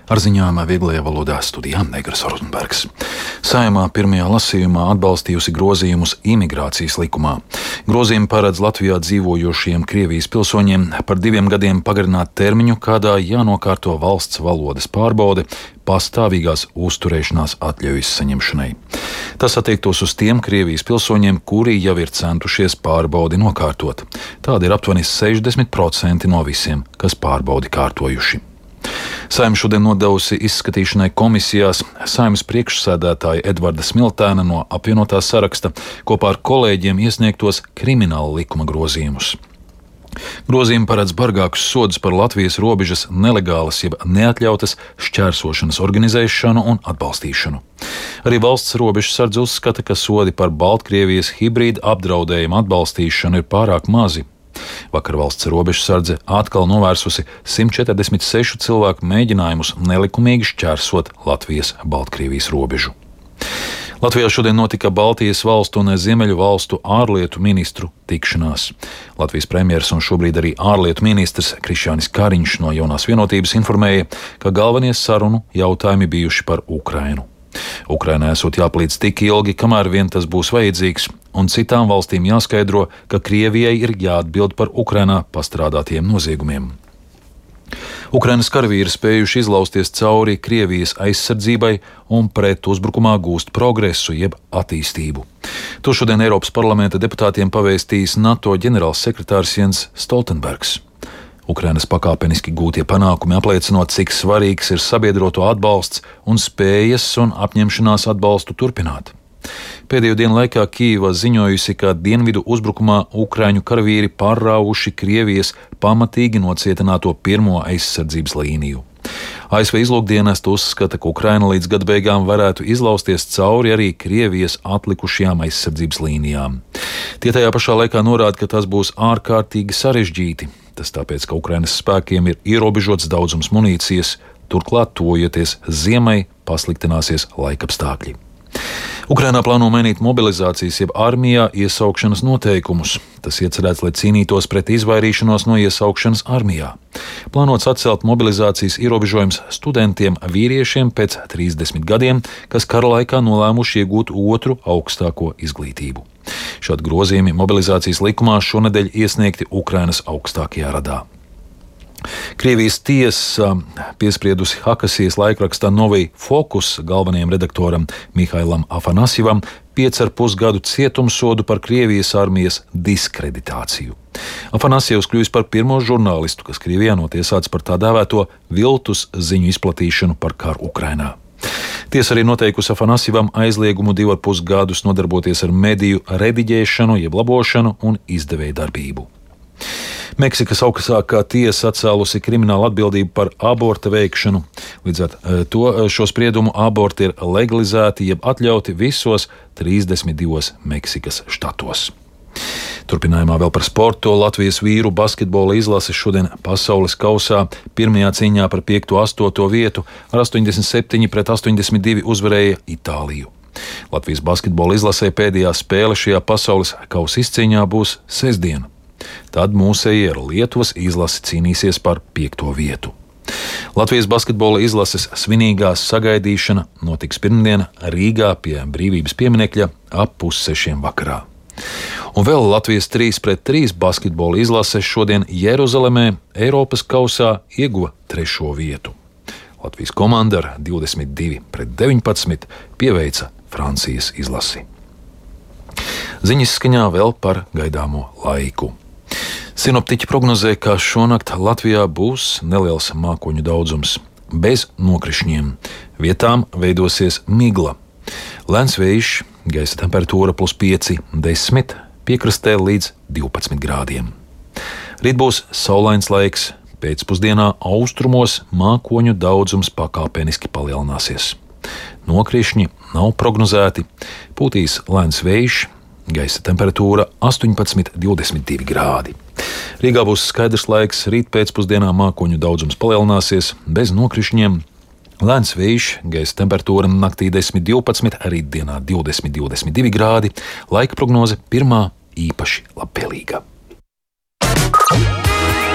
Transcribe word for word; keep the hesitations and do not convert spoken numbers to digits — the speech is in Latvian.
Ar ziņām vieglajā valodā studijā Negras Rozenbergs. Saeimā pirmajā lasījumā atbalstījusi grozījumus imigrācijas likumā. Grozījumi paredz Latvijā dzīvojošiem Krievijas pilsoņiem par diviem gadiem pagarināt termiņu, kādā jānokārto valsts valodas pārbaude pastāvīgās uzturēšanās atļaujas saņemšanai. Tas attiektos uz tiem Krievijas pilsoņiem, kuri jau ir centušies pārbaudi nokārtot. Tādi ir aptuveni sešdesmit procenti no visiem, kas pārbaudi kārtojuši. Saeima šodien nodevusi izskatīšanai komisijās Saeimas priekšsēdētāja Edvarda Smiltēna no apvienotā saraksta kopā ar kolēģiem iesniegtos krimināla likuma grozījumus. Grozījumi paredz bargākus sodus par Latvijas robežas nelegālas jeb neatļautas šķērsošanas organizēšanu un atbalstīšanu. Arī valsts robežsardze uzskata, ka sodi par Baltkrievijas hibrīda apdraudējumu atbalstīšanu ir pārāk mazi. Vakar valsts robežsardze atkal novērsusi simt četrdesmit sešu cilvēku mēģinājumus nelikumīgi šķērsot Latvijas-Baltkrievijas robežu. Latvijā šodien notika Baltijas valstu un Ziemeļu valstu ārlietu ministru tikšanās. Latvijas premjers un šobrīd arī ārlietu ministrs Krišjānis Kariņš no Jaunās vienotības informēja, ka galvenie sarunu jautājumi bijuši par Ukrainu. Ukrainai esot jāpalīdz tik ilgi, kamēr vien tas būs vajadzīgs, un citām valstīm jāskaidro, ka Krievijai ir jāatbild par Ukrainā pastrādātiem noziegumiem. Ukrainas karavīri spējuši izlausties cauri Krievijas aizsardzībai un pret uzbrukumā gūst progresu jeb attīstību. To šodien Eiropas parlamenta deputātiem pavēstījis NATO ģenerālsekretārs Jens Stoltenbergs. Ukrainas pakāpeniski gūtie panākumi apliecinot, cik svarīgs ir sabiedroto atbalsts un spējas un apņemšanās atbalstu turpināt. Pēdējo dienu laikā Kijeva ziņojusi, ka dienvidu uzbrukumā ukraiņu karavīri pārrāvuši Krievijas pamatīgi nocietināto pirmo aizsardzības līniju. A S V izlūkdienests uzskata, ka Ukraina līdz gada beigām varētu izlausties cauri arī Krievijas atlikušajām aizsardzības līnijām. Tie tajā pašā laikā norāda, ka tas būs ārkārtīgi sarežģīti. Tas tāpēc, ka Ukrainas spēkiem ir ierobežots daudzums munīcijas, turklāt tojoties ziemai pasliktināsies laikapstākļi. Ukrainā plāno mainīt mobilizācijas jeb armijā iesaukšanas noteikumus. Tas iecerēts, lai cīnītos pret izvairīšanos no iesaukšanas armijā. Plānots atcelt mobilizācijas ierobežojums studentiem vīriešiem pēc trīsdesmit gadiem, kas kara laikā nolēmuši iegūt otru augstāko izglītību. Šādi grozījumi mobilizācijas likumā šonedēļ iesniegti Ukrainas augstākajā radā. Krievijas tiesa piespriedusi Hakasijas laikrakstā Novij Fokus galvenajam redaktoram Mihailam Afanasjevam piecu ar pus gadu cietumsodu par Krievijas armijas diskreditāciju. Afanasjevs kļuvis par pirmo žurnālistu, kas Krievijā notiesāts par tā dēvēto viltus ziņu izplatīšanu par karu Ukrainā. Tiesa arī noteikusi Afanasjevam aizliegumu divu ar pus gadus nodarboties ar mediju rediģēšanu, jeb labošanu un izdevēju darbību. Meksikas augstākā tiesa atcēlusi kriminālu atbildību par aborta veikšanu. Līdz ar to šo spriedumu aborti ir legalizēti jeb atļauti visos trīsdesmit divos Meksikas štatos. Turpinājumā vēl par sportu. Latvijas vīru basketbola izlase šodien pasaules kausā pirmajā cīņā par piekto astoto vietu ar astoņdesmit septiņi pret astoņdesmit divi uzvarēja Itāliju. Latvijas basketbola izlasē pēdējā spēle šajā pasaules kausa izcīņā būs sestdien. Tad mūsēji ar Lietuvas izlasi cīnīsies par piekto vietu. Latvijas basketbola izlases svinīgā sagaidīšana notiks pirmdien Rīgā pie Brīvības pieminekļa ap pussešiem vakarā. Un vēl Latvijas trīs pret trīs basketbola izlase šodien Jeruzalemē Eiropas kausā ieguva trešo vietu. Latvijas komanda ar divdesmit divi pret deviņpadsmit pieveica Francijas izlasi. Ziņas skaņā vēl par gaidāmo laiku. Sinoptiķi prognozē, ka šonakt Latvijā būs neliels mākoņu daudzums, bez nokrišņiem. Vietām veidosies migla. Lēns vējš, gaisa temperatūra plus pieci, desmit, piekrastē līdz divpadsmit grādiem. Rīt būs saulains laiks, pēcpusdienā austrumos mākoņu daudzums pakāpeniski palielināsies. Nokrišņi nav prognozēti, pūtīs lēns vējš, gaisa temperatūra astoņpadsmit līdz divdesmit divi grādi. Rīgā būs skaidrs laiks, rīt pēcpusdienā mākoņu daudzums palielināsies, bez nokrišņiem. Lēns vējš, gaisa temperatūra naktī desmit līdz divpadsmit, rītdienā divdesmit līdz divdesmit divi grādi, laika prognoze pirmā īpaši labvēlīga.